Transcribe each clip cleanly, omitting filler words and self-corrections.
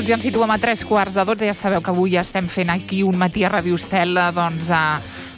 minuts ja ens situem a 3:15. Ja sabeu que avui estem fent aquí un matí a Ràdio Estel, doncs,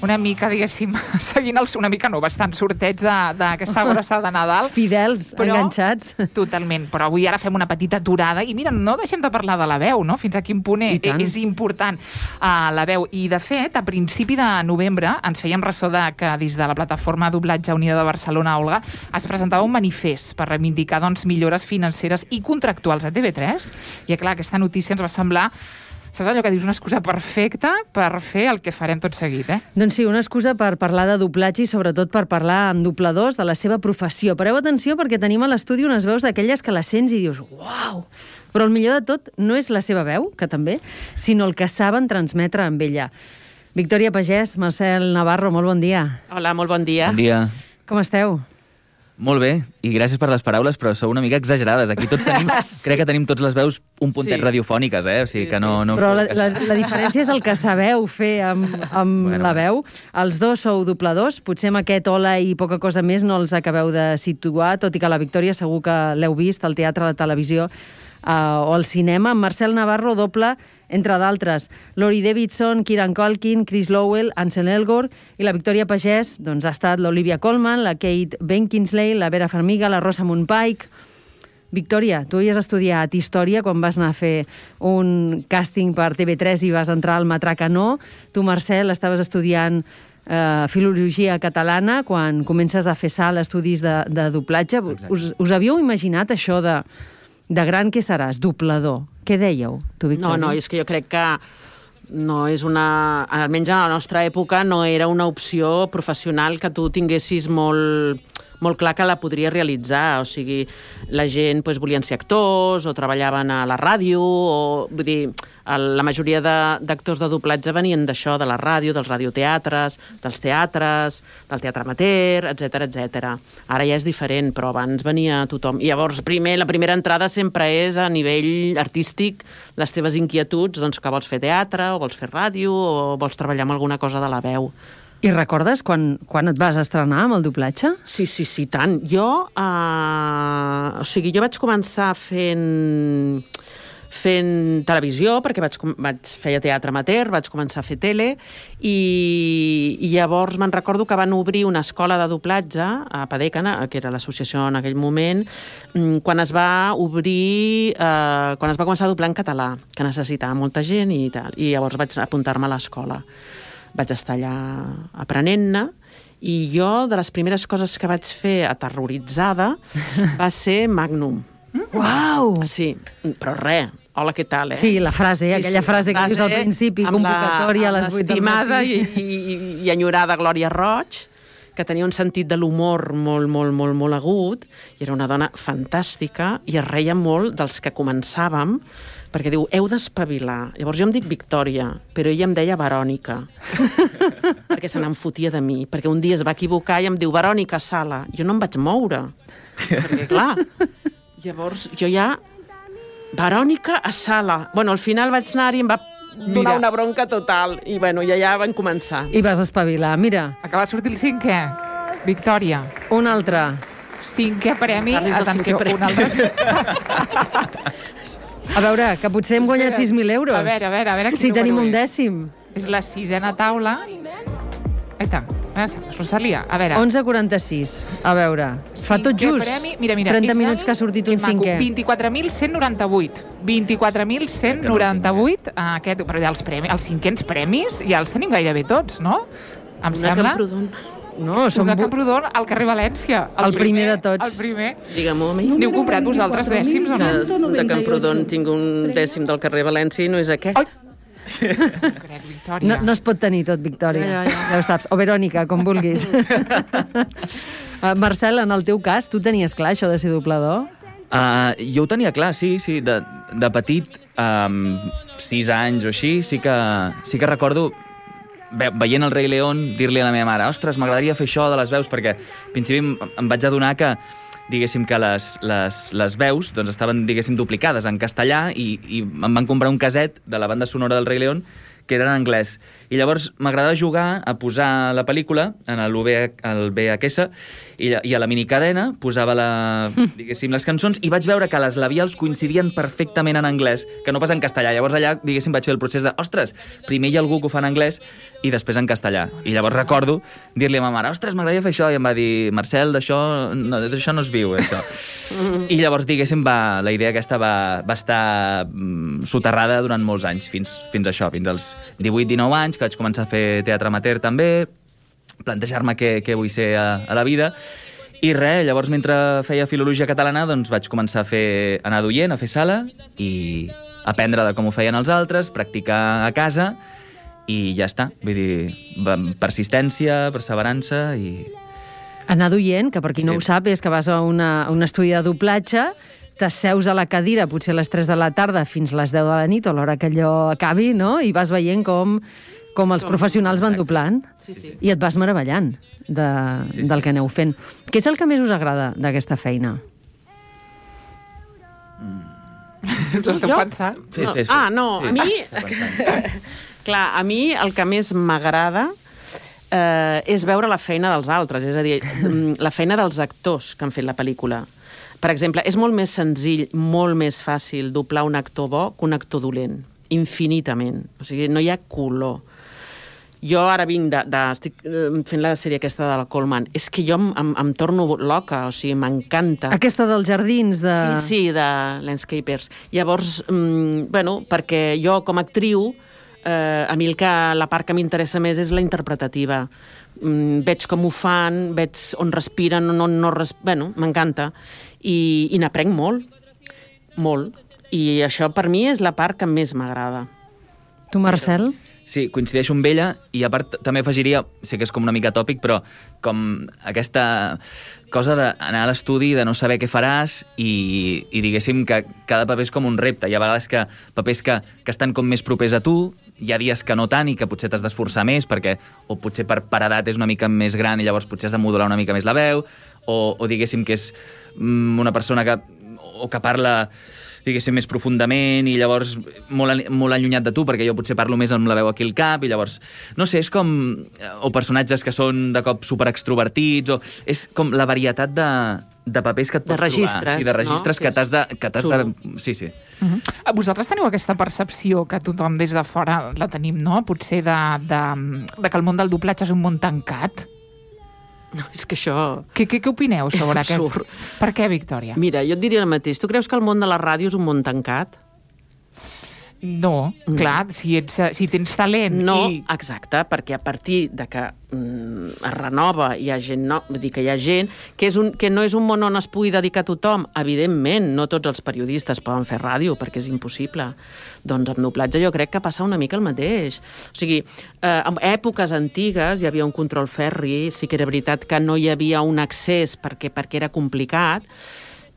una mica, diguéssim, seguint una mica no, bastant sorteig d'aquesta abraçada de Nadal. Fidels, però, enganxats. Totalment, però avui ara fem una petita aturada i mira, no deixem de parlar de la veu, no? Fins a quin punt és important la veu. I de fet, a principi de novembre ens fèiem ressò que des de la plataforma Doblatge Unida de Barcelona, Olga, es presentava un manifest per reivindicar millores financeres i contractuals a TV3, i clar, aquesta notícia ens va semblar, saps allò que dius, una excusa perfecta per fer el que farem tot seguit, Doncs sí, una excusa per parlar de doblatge i sobretot per parlar amb dobladors de la seva professió. Pareu atenció perquè tenim a l'estudi unes veus d'aquelles que les sents i dius, uau! Però el millor de tot no és la seva veu, que també, sinó el que saben transmetre amb ella. Victòria Pagès, Marcel Navarro, molt bon dia. Hola, molt bon dia. Bon dia. Com esteu? Molt bé, i gràcies per les paraules, però sou una mica exagerades. Aquí tots tenim, crec que tenim tots les veus un puntet radiofòniques, O sigui que no... Però la diferència és el que sabeu fer amb la veu. Els dos sou dobladors, potser amb aquest hola i poca cosa més no els acabeu de situar, tot i que la Victòria segur que l'heu vist al teatre, a la televisió o al cinema. Amb Marcel Navarro doble, entre d'altres, Laurie Davidson, Kieran Culkin, Chris Lowell, Ansel Elgort, i la Victòria Pagès doncs, ha estat l'Olivia Colman, la Kate Beckinsale, la Vera Farmiga, la Rosamund Pike. Victòria, tu havies estudiat Història quan vas anar a fer un càsting per TV3 i vas entrar al Matracanó. Tu, Marcel, estaves estudiant Filologia Catalana quan comences a fer salt estudis de doblatge. Us havíeu imaginat això de gran què seràs, doblador? Què dèieu, tu, Victòria? No, és que jo crec que no és una... Almenys a la nostra època no era una opció professional que tu tinguessis molt clar que la podria realitzar. O sigui, la gent volien ser actors o treballaven a la ràdio, o vull dir, la majoria d'actors de doblatge venien d'això, de la ràdio, dels radioteatres, dels teatres, del teatre amateur, etc. Ara ja és diferent, però abans venia tothom. I llavors, la primera entrada sempre és a nivell artístic, les teves inquietuds, doncs que vols fer teatre, o vols fer ràdio, o vols treballar amb alguna cosa de la veu. I recordes quan et vas estrenar amb el doblatge? Sí, tant. Jo vaig començar fent televisió, perquè feia teatre amateur, vaig començar a fer tele, i llavors me'n recordo que van obrir una escola de doblatge a Padecana, que era l'associació en aquell moment, quan es va començar a doblar en català, que necessitava molta gent i tal, i llavors vaig apuntar-me a l'escola. Vaig estar allà aprenent-ne, i jo, de les primeres coses que vaig fer aterroritzada, va ser Magnum. Uau! Sí, però res. Hola, què tal, Sí, la frase, aquella frase que dius al principi, convocatòria a les 8 del matí. Amb l'estimada i enyorada Glòria Roig, que tenia un sentit de l'humor molt agut, i era una dona fantàstica, i es reia molt dels que començàvem, perquè diu, heu d'espavilar. Llavors jo em dic Victòria, però ella em deia Verònica, perquè se n'enfotia de mi, perquè un dia es va equivocar i em diu, Verònica, sala. Jo no em vaig moure, perquè clar, llavors jo ja, Verònica a sala. Bueno, al final vaig anar-hi i em va donar una bronca total, i bueno, ja van començar. I vas espavilar, mira. Acaba de sortir el 5è, Victòria. Un altre. 5è premi, atenció, un altre. A veure, que potser hem guanyat 6.000 euros. A veure si tenim un dècim. És la 6a taula. Aita, Rosalia, a veure. 11,46. A veure, fa tot just. Premi, mira, 30 minuts que ha sortit un 5è. 24.198. 24.198. Però ja els 5ens premis ja els tenim gairebé tots, no? Em sembla... No, som una Camprodon al carrer València. El primer de tots. El primer. Digue'm-ho a mi. N'heu comprat vosaltres dècims o no? De Camprodon tinc un dècim del carrer València i no és aquest. No es pot tenir tot, Victòria. Ja ho saps. O Verònica, com vulguis. Marcel, en el teu cas, tu tenies clar això de ser doblador? Jo ho tenia clar, sí. De petit, 6 anys o així, sí que recordo... veient el Rei León, dir-li a la meva mare, ostres, m'agradaria fer això de les veus, perquè al principi em vaig adonar que, diguéssim, que les veus doncs, estaven, diguéssim, duplicades en castellà, i em van comprar un caset de la banda sonora del Rei León que era en anglès. I llavors m'agradava jugar a posar la pel·lícula en el VHS i a la minicadena posava diguéssim, les cançons i vaig veure que les labials coincidien perfectament en anglès, que no pas en castellà. Llavors allà, diguéssim, vaig fer el procés de, ostres, primer hi ha algú que ho fa en anglès i després en castellà. I llavors recordo dir-li a ma mare, ostres, m'agradaria fer això, i em va dir, Marcel, d'això no es viu, això. I llavors, diguéssim, la idea aquesta va estar soterrada durant molts anys, fins a això, fins als 18-19 anys, que vaig començar a fer teatre amateur també, plantejar-me què vull ser a la vida, i res, llavors mentre feia filologia catalana doncs vaig començar a anar d'oient, a fer sala, i aprendre de com ho feien els altres, practicar a casa, i ja està. Vull dir, persistència, perseverança i... Anar d'oient, que per qui no ho sap, és que vas a un estudi de doblatge, t'asseus a la cadira potser a les 3 de la tarda fins a les 10 de la nit o a l'hora que allò acabi, no? I vas veient com els professionals van doblant i et vas meravellant del que aneu fent. Què és el que més us agrada d'aquesta feina? Us esteu pensant? Fes. No, a mi... Clar, a mi el que més m'agrada és veure la feina dels altres, és a dir, la feina dels actors que han fet la pel·lícula. Per exemple, és molt més senzill, molt més fàcil doblar un actor bo que un actor dolent, infinitament. O sigui, no hi ha color. Jo ara estic fent la sèrie aquesta de la Coleman. És que jo em torno loca, o sigui, m'encanta. Aquesta dels jardins de... Sí, de Landscapers. Llavors, perquè jo com a actriu, a mi la part que m'interessa més és la interpretativa. Veig com ho fan, veig on respiren, on no respiren... m'encanta. I n'aprenc molt. I això per mi és la part que més m'agrada. Tu, Marcel? Sí, coincideixo amb ella i a part també afegiria, sé que és com una mica tòpic, però com aquesta cosa d'anar a l'estudi, de no saber què faràs i diguéssim que cada paper és com un repte. Hi ha vegades que papers que estan com més propers a tu, hi ha dies que no tant i que potser t'has d'esforçar més perquè o potser per edat és una mica més gran i llavors potser has de modular una mica més la veu o diguéssim que és una persona que parla diguéssim, més profundament i llavors molt allunyat de tu, perquè jo potser parlo més amb la veu aquí al cap i llavors, no sé, és com... o personatges que són de cop superextrovertits, o és com la varietat de papers que et pots trobar. Sí, de registres, no? que t'has de... Sí. Vosaltres teniu aquesta percepció que tothom des de fora la tenim, no? Potser de que el món del doblatge és un món tancat? No, és que això... Què opineu sobre aquest? Per què, Victòria? Mira, jo et diria el mateix. Tu creus que el món de la ràdio és un món tancat? No, clar, si tens talent... No, exacte, perquè a partir de que es renova, hi ha gent, vull dir que hi ha gent, que no és un món on es pugui dedicar a tothom. Evidentment, no tots els periodistes poden fer ràdio, perquè és impossible. Doncs amb doblatge jo crec que passa una mica el mateix. O sigui, en èpoques antigues hi havia un control ferri, sí que era veritat que no hi havia un accés perquè era complicat,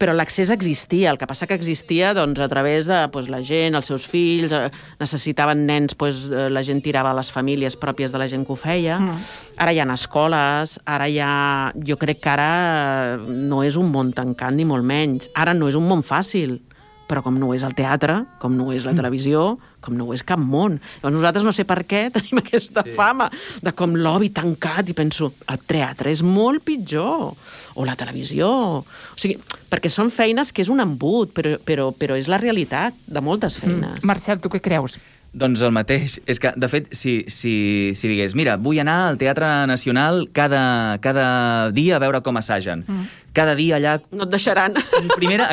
però l'accés existia. El que passa que existia doncs, a través de la gent, els seus fills, necessitaven nens, la gent tirava a les famílies pròpies de la gent que ho feia. Ara hi ha escoles, jo crec que ara no és un món tancat, ni molt menys. Ara no és un món fàcil, però com no ho és el teatre, com no ho és la televisió, com no ho és cap món. Llavors nosaltres no sé per què tenim aquesta fama de com l'obi tancat i penso, el teatre és molt pitjor, o la televisió. O sigui, perquè són feines que és un embut, però és la realitat de moltes feines. Marcel, tu què creus? Doncs el mateix. És que, de fet, si digués, mira, vull anar al Teatre Nacional cada dia a veure com assagen. Cada dia allà... No et deixaran. Primera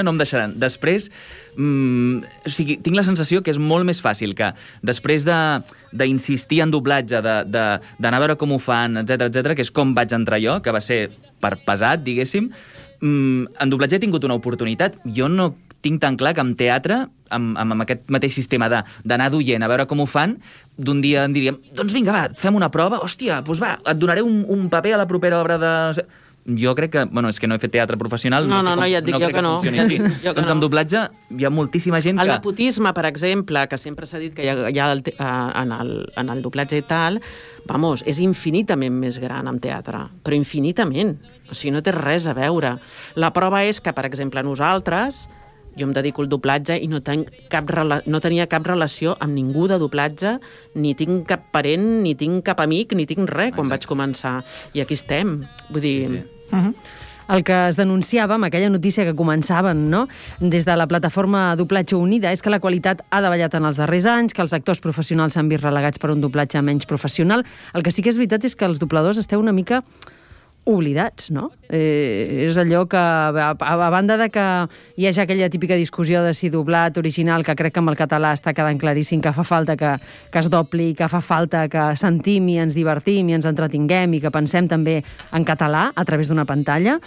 no em deixaran. Després, o sigui, tinc la sensació que és molt més fàcil que després d'insistir en doblatge, d'anar a veure com ho fan, etc, que és com vaig entrar jo, que va ser per pesat, diguéssim, en doblatge he tingut una oportunitat. Jo no tinc tan clar que en teatre, amb aquest mateix sistema d'anar d'oient a veure com ho fan, d'un dia en diríem, doncs vinga, va, fem una prova, hòstia, doncs va, et donaré un paper a la propera obra de... Jo crec que, és que no he fet teatre professional, no, ja et dic jo que no. Doncs amb doblatge hi ha moltíssima gent que... El nepotisme, per exemple, que sempre s'ha dit que hi ha en el doblatge i tal, és infinitament més gran en teatre, però infinitament. O sigui, no té res a veure. La prova és que, per exemple, nosaltres jo em dedico al doblatge i no tenia cap relació amb ningú de doblatge, ni tinc cap parent, ni tinc cap amic, ni tinc res quan vaig començar. I aquí estem. Vull dir... Sí. El que es denunciava amb aquella notícia que començaven, no?, des de la plataforma Doblatge Unida, és que la qualitat ha davallat en els darrers anys, que els actors professionals s'han vist relegats per un doblatge menys professional. El que sí que és veritat és que els dobladors esteu una mica oblidats, no? És allò que, a banda de que hi hagi aquella típica discussió de si doblat, original, que crec que amb el català està quedant claríssim que fa falta que es dobli, que fa falta que sentim i ens divertim i ens entretinguem i que pensem també en català a través d'una pantalla,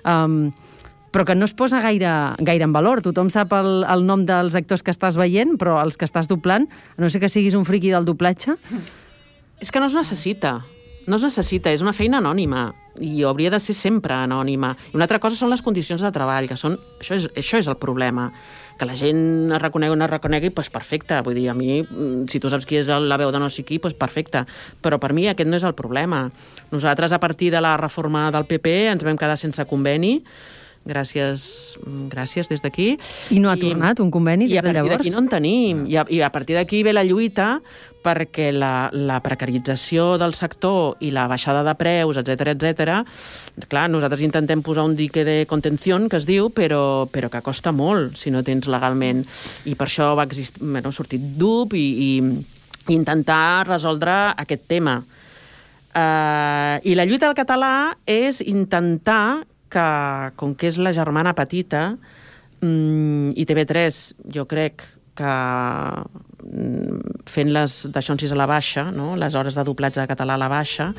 però que no es posa gaire en valor. Tothom sap el nom dels actors que estàs veient, però els que estàs doblant, a no ser que siguis un friqui del doblatge... És que no es necessita. No es necessita, és una feina anònima i hauria de ser sempre anònima. I una altra cosa són les condicions de treball, que són... Això és el problema. Que la gent es reconegui o no es reconegui, doncs perfecte. Vull dir, a mi, si tu saps qui és la veu de no sé qui, doncs perfecte. Però per mi aquest no és el problema. Nosaltres, a partir de la reforma del PP, ens vam quedar sense conveni. Gràcies des d'aquí. I no ha tornat un conveni des de llavors? I a partir d'aquí no en tenim. I a partir d'aquí ve la lluita perquè la precarització del sector i la baixada de preus, etc. Clar, nosaltres intentem posar un dique de contenció, que es diu, però que costa molt si no tens legalment. I per això ha sortit DUP i intentar resoldre aquest tema. I la lluita del català és intentar que, com que és la germana petita, i TV3, jo crec que fent les d'això en 6 a la baixa, no? Les hores de doblatge de català a la baixa,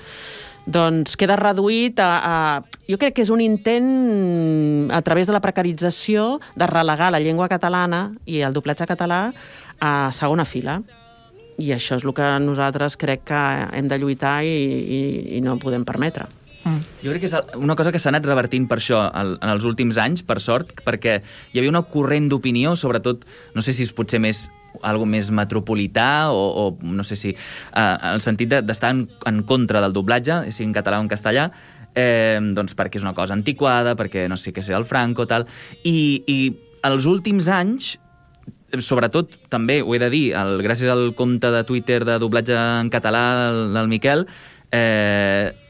doncs queda reduït a... Jo crec que és un intent, a través de la precarització, de relegar la llengua catalana i el doblatge català a segona fila. I això és el que nosaltres crec que hem de lluitar i no podem permetre. Jo crec que és una cosa que s'ha anat revertint per això en els últims anys, per sort, perquè hi havia una corrent d'opinió, sobretot, no sé si és potser algo més metropolità o no sé si en el sentit d'estar en contra del doblatge, sigui en català o en castellà, doncs perquè és una cosa antiquada, perquè no sé què sé, el Franco, tal, i els últims anys, sobretot, també ho he de dir, gràcies al compte de Twitter de doblatge en català del Miquel,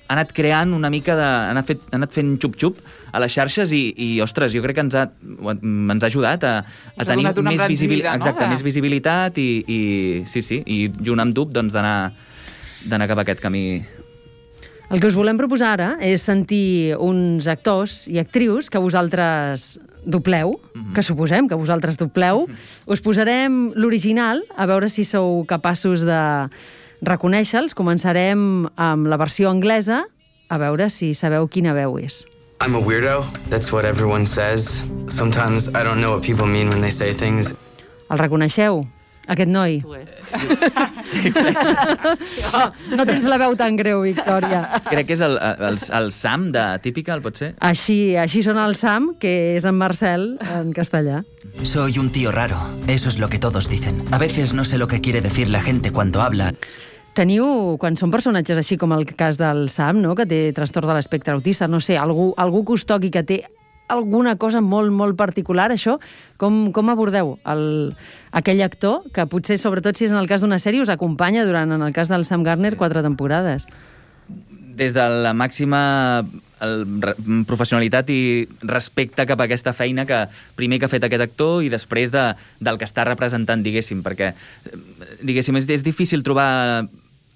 ha anat creant una mica ha anat fent xup-xup a les xarxes i ostres, jo crec que ens ha ajudat a tenir més visibilitat, no? Exacte, més visibilitat i sí, i junt amb DUP doncs d'anar cap a aquest camí. El que us volem proposar ara és sentir uns actors i actrius que vosaltres dobleu, que suposem que vosaltres dobleu. Us posarem l'original, a veure si sou capaços de reconèixer-los. Començarem amb la versió anglesa, a veure si sabeu quina veu és. I'm a weirdo. That's what everyone says. Sometimes I don't know what people mean when they say things. El reconeixeu? Aquest noi? No tens la veu tan greu, Victòria. Crec que és el Sam de Típica, pot ser? Així sona el Sam, que és en Marcel en castellà. Soy un tío raro, eso es lo que todos dicen. A veces no sé lo que quiere decir la gente cuando habla. Teniu, quan són personatges així com el cas del Sam, no?, que té trastorn de l'espectre autista, no sé, algú que us toqui que té alguna cosa molt, molt particular, això, com abordeu aquell actor que potser, sobretot si és en el cas d'una sèrie, us acompanya durant, en el cas del Sam Garner, 4 temporades? Des de la màxima professionalitat i respecte cap a aquesta feina que primer que ha fet aquest actor i després del que està representant, diguéssim, perquè diguéssim, és difícil trobar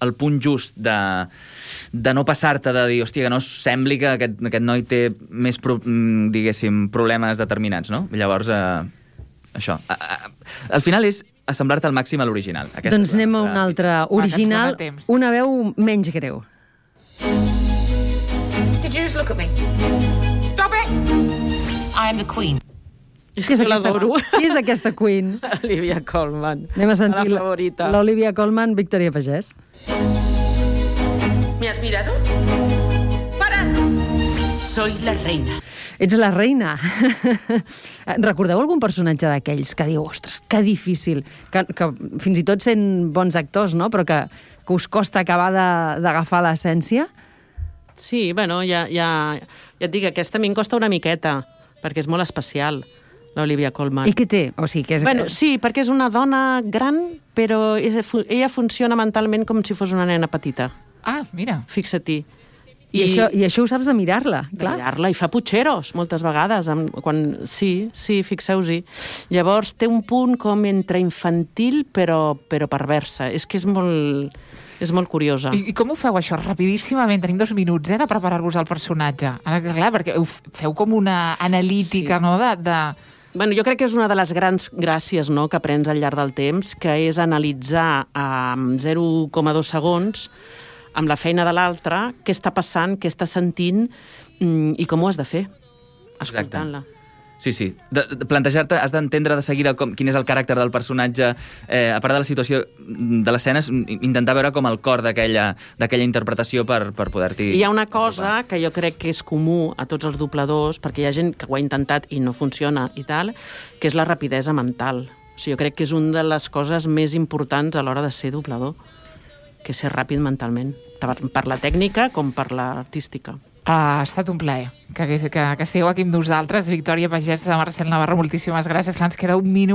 el punt just de no passar-te, de dir, hòstia, que no sembli que aquest noi té més, diguéssim, problemes determinats, no? Llavors, això. Al final és assemblar-te al màxim a l'original. Doncs anem a un altre original, una veu menys greu. Did you just look at me? Stop it! I am the Queen. És que l'adoro. Qui és aquesta Queen? Olivia Colman. Anem a sentir la favorita. L'Olivia Colman, Victòria Pagès. ¿Me has mirado? ¡Para! Soy la reina. Ets la reina. Recordeu algun personatge d'aquells que diu, ostres, que difícil, que fins i tot sent bons actors, no?, però que us costa acabar d'agafar l'essència? Sí, bueno, ja et dic, aquesta a mi em costa una miqueta, perquè és molt especial. l'Olivia Colman. I què té? O sigui, que és... Bueno, sí, perquè és una dona gran, però ella funciona mentalment com si fos una nena petita. Ah, mira. Fixa-t'hi. I això ho saps de mirar-la, clar. De mirar-la, i fa putxeros, moltes vegades. Sí, fixeu-hi. Llavors, té un punt com entre infantil, però perversa. És que és molt curiosa. I com ho feu, això? Rapidíssimament, tenim 2 minuts, de preparar-vos el personatge. Ara, clar, perquè ho feu com una analítica, no?, Bueno, jo crec que és una de les grans gràcies, no?, que aprens al llarg del temps, que és analitzar en 0,2 segons, amb la feina de l'altre, què està passant, què està sentint i com ho has de fer, escoltant-la. Sí. Plantejar-te, has d'entendre de seguida quin és el caràcter del personatge, a part de la situació de l'escena, intentar veure com el cor d'aquella interpretació per poder-t'hi... Hi ha una cosa que jo crec que és comú a tots els dobladors, perquè hi ha gent que ho ha intentat i no funciona i tal, que és la rapidesa mental. O sigui, jo crec que és una de les coses més importants a l'hora de ser doblador, que és ser ràpid mentalment, per la tècnica com per l'artística. Ha estat un plaer que estigueu aquí amb nosaltres. Victòria Pagès de Marcel Navarro, moltíssimes gràcies. Ens queda 1 minut